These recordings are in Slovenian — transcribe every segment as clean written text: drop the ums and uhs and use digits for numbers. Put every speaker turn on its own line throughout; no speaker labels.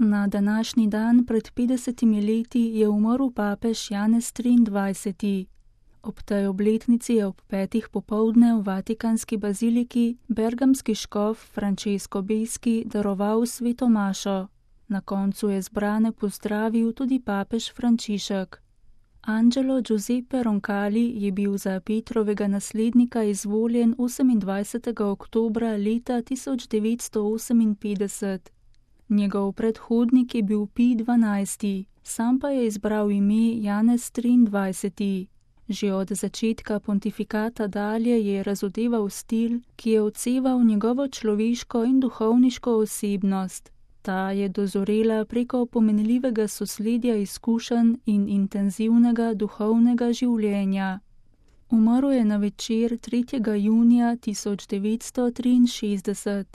Na današnji dan pred 50 leti je umrl papež Janez 23. Ob tej obletnici je ob 5. popoldne v Vatikanski baziliki bergamski škof Francesco Beski daroval sveto mašo. Na koncu je zbrane pozdravil tudi papež Frančišek. Angelo Giuseppe Roncalli je bil za Petrovega naslednika izvoljen 28. oktobra leta 1958. Njegov predhodnik je bil Pij XII., sam pa je izbral ime Janez 23. Že od začetka pontifikata dalje je razodeval stil, ki je odseval njegovo človeško in duhovniško osebnost. Ta je dozorela preko pomenljivega sosledja izkušenj in intenzivnega duhovnega življenja. Umrl je na večer 3. junija 1963.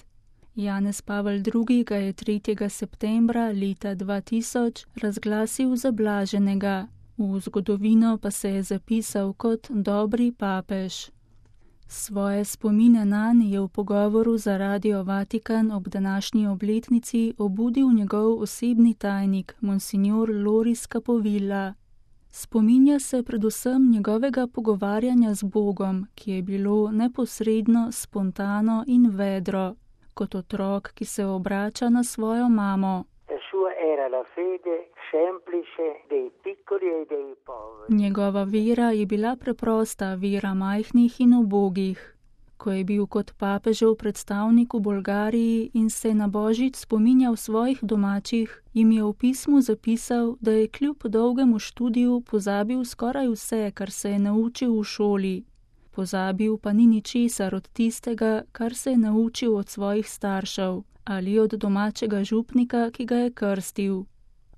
Janez Pavel II. Ga je 3. septembra leta 2000 razglasil za blaženega. V zgodovino pa se je zapisal kot dobri papež. Svoje spomine nanj je v pogovoru za Radio Vatikan ob današnji obletnici obudil njegov osebni tajnik, monsignor Loris Capovilla. Spominja se predvsem njegovega pogovarjanja z Bogom, ki je bilo neposredno, spontano in vedro, kot otrok, ki se obrača na svojo mamo. Njegova vera je bila preprosta vera majhnih in ubogih. Ko je bil kot papežev predstavnik v Bolgariji in se na božič spominjal svojih domačih, jim je v pismu zapisal, da je kljub dolgemu študiju pozabil skoraj vse, kar se je naučil v šoli. Pozabil pa ni ničesar od tistega, kar se je naučil od svojih staršev ali od domačega župnika, ki ga je krstil.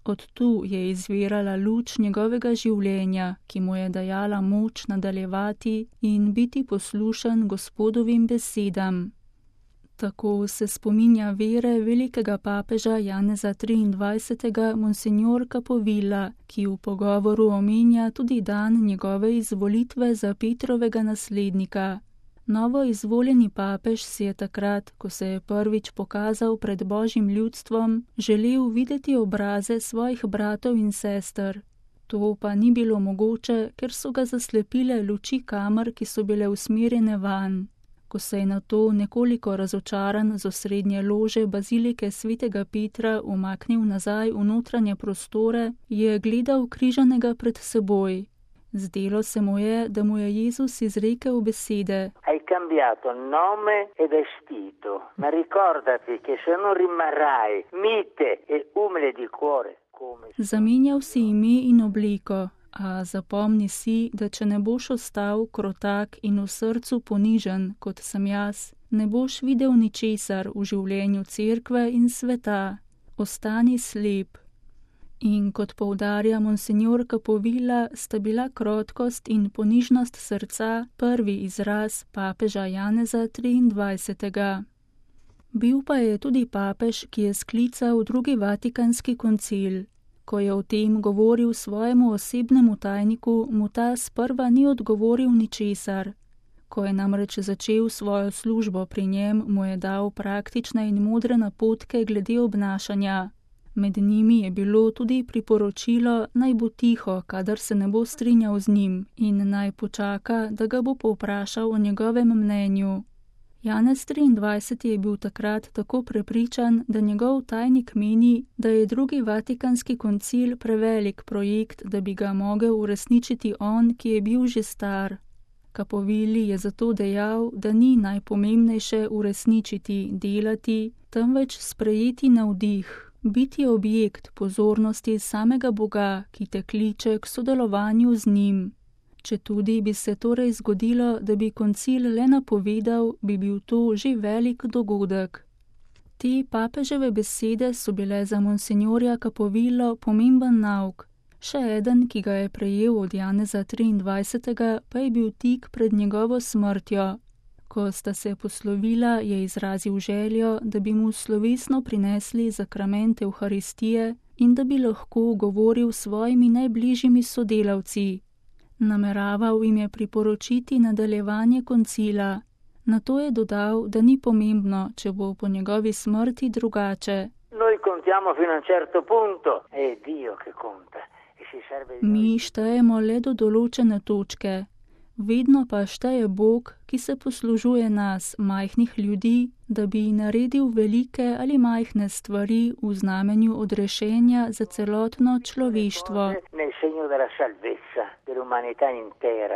Od tu je izvirala luč njegovega življenja, ki mu je dajala moč nadaljevati in biti poslušen Gospodovim besedam. Tako se spominja vere velikega papeža Janeza 23. monsignor Capovilla, ki v pogovoru omenja tudi dan njegove izvolitve za Petrovega naslednika. Novo izvoljeni papež si je takrat, ko se je prvič pokazal pred božjim ljudstvom, želel videti obraze svojih bratov in sester. To pa ni bilo mogoče, ker so ga zaslepile luči kamer, ki so bile usmerjene vanj. Ko se je nato nekoliko razočaran z osrednje lože bazilike svetega Petra umaknil nazaj v notranje prostore, je gledal križanega pred seboj. Zdelo se mu je, da mu je Jezus izrekel besede:
Hai cambiato nome e vestito, ma ricordati che se non rimarrai mite e umile di cuore.
Zamenjal si ime in obliko, a zapomni si, da če ne boš ostal krotak in v srcu ponižen, kot sem jaz, ne boš videl ničesar v življenju cerkve in sveta. Ostani slep. In kot poudarja monsignor Capovilla, sta bila krotkost in ponižnost srca prvi izraz papeža Janeza 23. Bil pa je tudi papež, ki je sklical drugi Vatikanski koncil. Ko je o tem govoril svojemu osebnemu tajniku, mu ta sprva ni odgovoril ničesar. Ko je namreč začel svojo službo pri njem, mu je dal praktične in modre napotke glede obnašanja. Med njimi je bilo tudi priporočilo, naj bo tiho, kadar se ne bo strinjal z njim, in naj počaka, da ga bo povprašal o njegovem mnenju. Janez 23. je bil takrat tako prepričan, da njegov tajnik meni, da je drugi Vatikanski koncil prevelik projekt, da bi ga mogel uresničiti on, ki je bil že star. Capovilli je zato dejal, da ni najpomembnejše uresničiti, delati, temveč sprejeti navdih. Biti objekt pozornosti samega Boga, ki te kliče k sodelovanju z njim. Četudi bi se torej zgodilo, da bi koncil le napovedal, bi bil to že velik dogodek. Te papeževe besede so bile za monsignorja Capovillo pomemben nauk. Še eden, ki ga je prejel od Janeza 23. pa je bil tik pred njegovo smrtjo. Ko sta se poslovila, je izrazil željo, da bi mu slovesno prinesli zakrament Evharistije in da bi lahko govoril s svojimi najbližjimi sodelavci. Nameraval jim je priporočiti nadaljevanje koncila. Nato je dodal, da ni pomembno, če bo po njegovi smrti drugače.
Noi con contiamo fino a un certo punto, è Dio che conta. E si serve di
Mi štejemo le do določene točke. Vedno pa šteje Bog, ki se poslužuje nas, majhnih ljudi, da bi naredil velike ali majhne stvari v znamenju odrešenja za celotno človeštvo.
nel segno della salvezza dell'umanità intera.